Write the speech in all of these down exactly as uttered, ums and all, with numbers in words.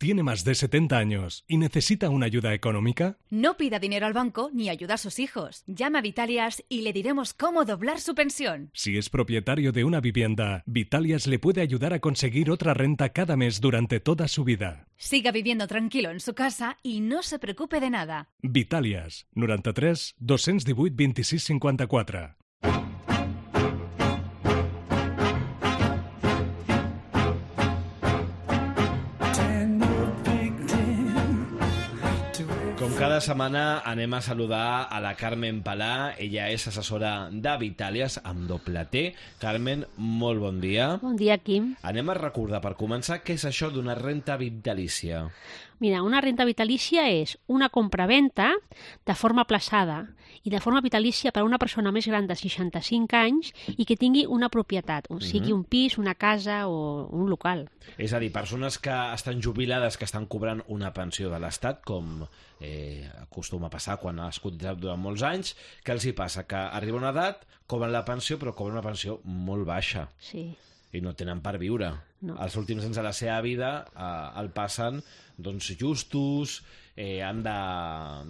¿Tiene más de setenta años y necesita una ayuda económica? No pida dinero al banco ni ayuda a sus hijos. Llame a Vitalias y le diremos cómo doblar su pensión. Si es propietario de una vivienda, Vitalias le puede ayudar a conseguir otra renta cada mes durante toda su vida. Siga viviendo tranquilo en su casa y no se preocupe de nada. Vitalias, noranta-tres dos-cents divuit vint-i-sis cinquanta-quatre. Com cada setmana anem a saludar a la Carmen Palà. Ella és assessora de Vitalias amb doble T. Carmen, molt bon dia. Bon dia, Quim. Anem a recordar, per començar, què és això d'una renta vitalícia. Mira, una renta vitalícia és una compra-venta de forma aplaçada i de forma vitalícia per a una persona més gran de seixanta-cinc anys i que tingui una propietat, o sigui un pis, una casa o un local. És a dir, persones que estan jubilades, que estan cobrant una pensió de l'Estat, com eh, acostuma a passar quan has cotitzat durant molts anys, que els hi passa? Que arriba una edat, cobren la pensió, però cobren una pensió molt baixa. Sí. I no tenen per viure. No. Els últims anys de la seva vida eh, el passen doncs, justos, eh, han de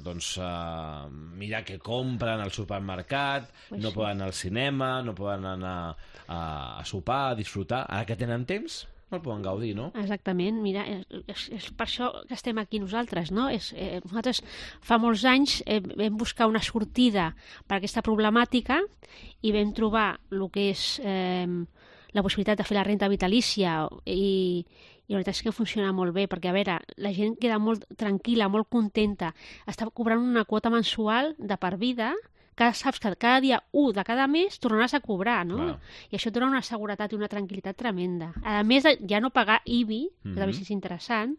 doncs, eh, mirar què compren al supermercat, pues no sí. poden anar al cinema, no poden anar a, a sopar, a disfrutar. Ara que tenen temps, no el poden gaudir, no? Exactament, mira, és, és per això que estem aquí nosaltres, no? És, eh, nosaltres fa molts anys eh, vam buscar una sortida per a aquesta problemàtica i vam trobar el que és eh, la possibilitat de fer la renta vitalícia i, i la veritat és que funciona molt bé, perquè, a veure, la gent queda molt tranquil·la, molt contenta, està cobrant una quota mensual de per vida, que saps que cada dia u de cada mes tornaràs a cobrar, no? Clar. I això et dona una seguretat i una tranquil·litat tremenda. A més de ja no pagar I B I, que Mhm. també és interessant,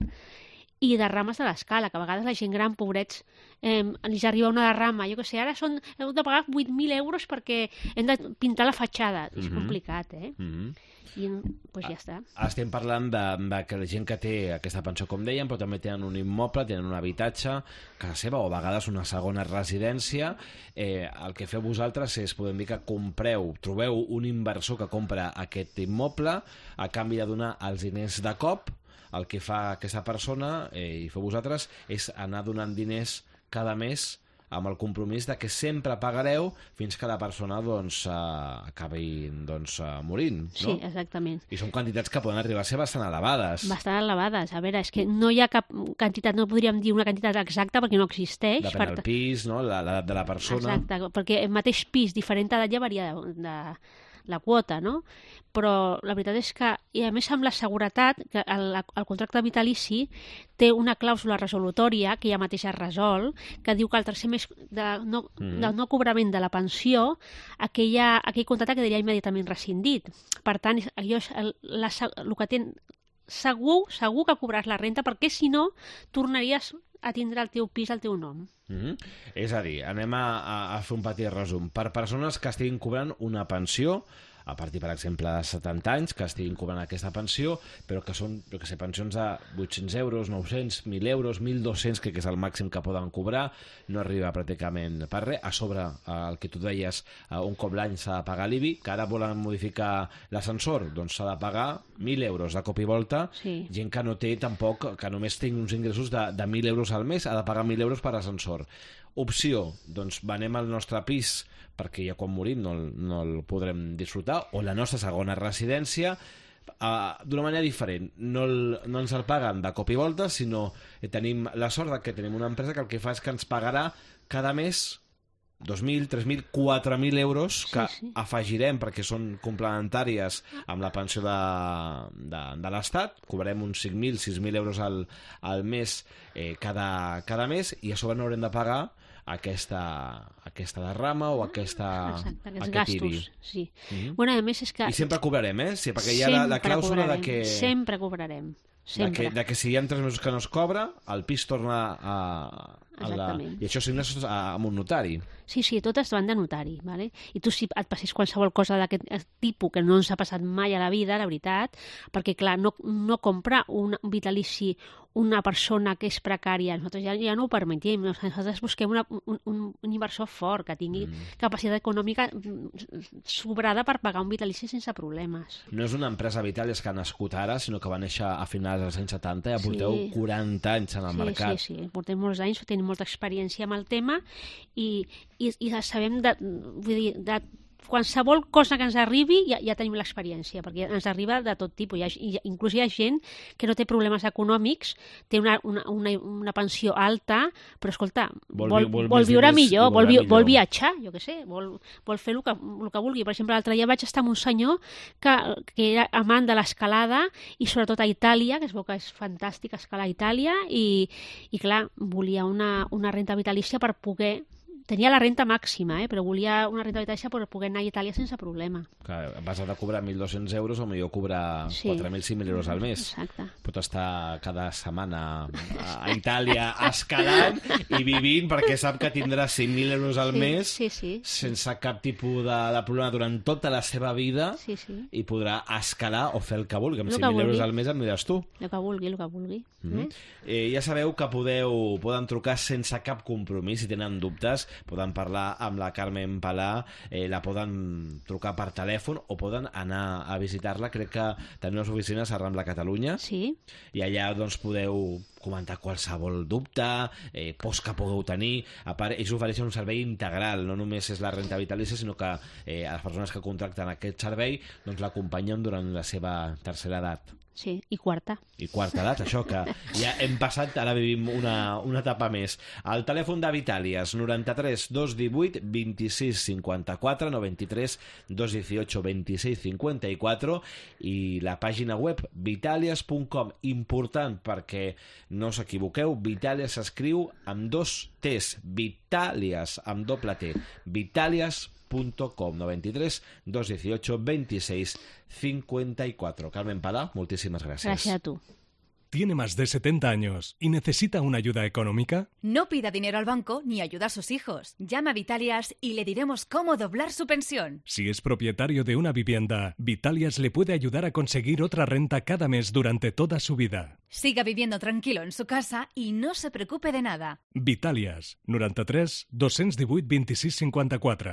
i derrames de l'escala, que a vegades la gent gran, pobrets, eh, els arriba una derrama, jo què sé, ara són, heu de pagar vuit mil euros perquè hem de pintar la fatxada. És Mhm. complicat, eh? Mm-hmm. I doncs ja està. Estem parlant de, de que la gent que té aquesta pensió, com dèiem, però també tenen un immoble, tenen un habitatge a casa seva o a vegades una segona residència. Eh, el que feu vosaltres és, podem dir que compreu, trobeu un inversor que compra aquest immoble a canvi de donar els diners de cop. El que fa aquesta persona, eh, i feu vosaltres, és anar donant diners cada mes amb el compromís de que sempre pagareu fins que la persona doncs, eh, acabi doncs, eh, morint. No? Sí, exactament. I són quantitats que poden arribar a ser bastant elevades. Bastant elevades. A veure, és que no hi ha cap quantitat, no podríem dir una quantitat exacta perquè no existeix. Depèn per del ta- pis, no? La- l'edat de la persona. Exacte, perquè el mateix pis, diferent edat, ja varia de, de la quota, no? Però la veritat és que, i a més amb la seguretat, que el, el contracte vitalici té una clàusula resolutòria que ja mateix es resol, que diu que al tercer mes de no, Mm. del no cobrament de la pensió, aquella, aquell contracte quedaria immediatament rescindit. Per tant, és- allò és el, la, se- el que ten, segur, segur que cobraràs la renta, perquè si no, tornaries a tindre el teu pis al teu nom. Mm-hmm. És a dir, anem a, a, a fer un petit resum. Per persones que estiguin cobrant una pensió, a partir, per exemple, de setanta anys, que estiguin cobrant aquesta pensió, però que són, jo que sé, pensions de vuit-cents euros, nou-cents, mil euros, mil dos-cents, que és el màxim que poden cobrar, no arriba pràcticament per res. A sobre, el que tu deies, un cop l'any s'ha de pagar l'I B I, que ara volen modificar l'ascensor, doncs s'ha de pagar mil euros de cop i volta. Sí. Gent que no té tampoc, que només té uns ingressos de, de mil euros al mes, ha de pagar mil euros per ascensor. Opció, doncs venem al nostre pis perquè ja quan morim no, el- no el podrem disfrutar, o la nostra segona residència, uh, d'una manera diferent. No, el, no ens el paguen de cop i volta, sinó que tenim la sort de que tenim una empresa que el que fa és que ens pagarà cada mes dos mil, tres mil, quatre mil euros que Sí, sí. afegirem perquè són complementàries amb la pensió de, de, de l'Estat. Cobrarem uns cinc mil, sis mil euros al, al mes eh, cada, cada mes, i a sobre no haurem de pagar aquesta, aquesta derrama o aquesta, Exacte, aquests aquest I B I. gastos. Sí. Mhm. Bueno, a més és que... I sempre cobrarem, eh? Sí, perquè hi ha la, la sempre clàusula de cobrarem, que, Sempre cobrarem. de, Sempre. que, de que si hi ha tres mesos que no es cobra, el pis torna a... a la, Exactament. I això signes amb un notari. Sí, sí, totes van de notari, ¿vale? I tu si et passés qualsevol cosa d'aquest tipus que no ens ha passat mai a la vida, la veritat, perquè, clar, no, no compra un vitalici una persona que és precària. Nosaltres ja, ja no ho permetim. Nosaltres busquem una, un, un inversor fort que tingui mm. capacitat econòmica sobrada per pagar un vitalici sense problemes. No és una empresa Vitàlies que ha nascut ara, sinó que va néixer a finals dels anys setanta i ja porteu sí. quaranta anys en el sí, mercat. Sí, sí, portem molts anys, tenim molta experiència amb el tema i, i, i sabem de, vull dir, de qualsevol cosa que ens arribi ja, ja tenim l'experiència, perquè ens arriba de tot tipus. Hi ha, hi ha, inclús hi ha gent que no té problemes econòmics, té una, una, una, una pensió alta, però escolta, vol, vol, vol, vol viure millor, vol, vi, vol viatjar, jo què sé, vol, vol fer el que, el que vulgui. Per exemple, l'altre dia vaig estar amb un senyor que, que era amant de l'escalada i sobretot a Itàlia, que es veu que és fantàstic escalar a Itàlia, i, i clar, volia una, una renta vitalícia per poder... Tenia la renta màxima, eh? Però volia una renta vitalícia per poder anar a Itàlia sense problema. Clar, vas de cobrar mil dos-cents euros o millor cobrar sí. quatre mil cinc mil euros al mes. Exacte. Pot estar cada setmana a Itàlia escalant i vivint perquè sap que tindrà cinc mil euros al sí, mes sí, sí. sense cap tipus de, de problema durant tota la seva vida sí, sí. i podrà escalar o fer el que vulgui. Amb cinc mil euros al mes em diràs tu. El que vulgui, el que vulgui. Mm-hmm. eh, ja sabeu que podeu poden trucar sense cap compromís si tenen dubtes. Poden parlar amb la Carmen Palà, eh, la poden trucar per telèfon o poden anar a visitar-la. Crec que tenim unes oficines a Rambla Catalunya sí. i allà doncs podeu comentar qualsevol dubte, eh, pors que pugueu tenir. A part, ells ofereixen un servei integral, no només és la renta vitalícia, sinó que eh, a les persones que contracten aquest servei doncs l'acompanyen durant la seva tercera edat. Sí, i quarta. I quarta edat, això, que ja hem passat, ara vivim una, una etapa més. El telèfon de Vitàlies, noranta-tres dos divuit vint-i-sis cinquanta-quatre, noranta-tres dos divuit vint-i-sis cinquanta-quatre, i la pàgina web vitalias punt com. Important, perquè no us equivoqueu, Vitàlies s'escriu amb dos T's, Vitàlies amb doble T, vitalias punt com, noranta-tres dos divuit vint-i-sis cinquanta-quatre. Carmen Palà, moltíssimes gràcies. Gràcies a tu. ¿Tiene más de setenta años y necesita una ayuda económica? No pida dinero al banco ni ayuda a sus hijos. Llama a Vitalias y le diremos cómo doblar su pensión. Si es propietario de una vivienda, Vitalias le puede ayudar a conseguir otra renta cada mes durante toda su vida. Siga viviendo tranquilo en su casa y no se preocupe de nada. Vitalias, noranta-tres dos divuit vint-i-sis cinquanta-quatre.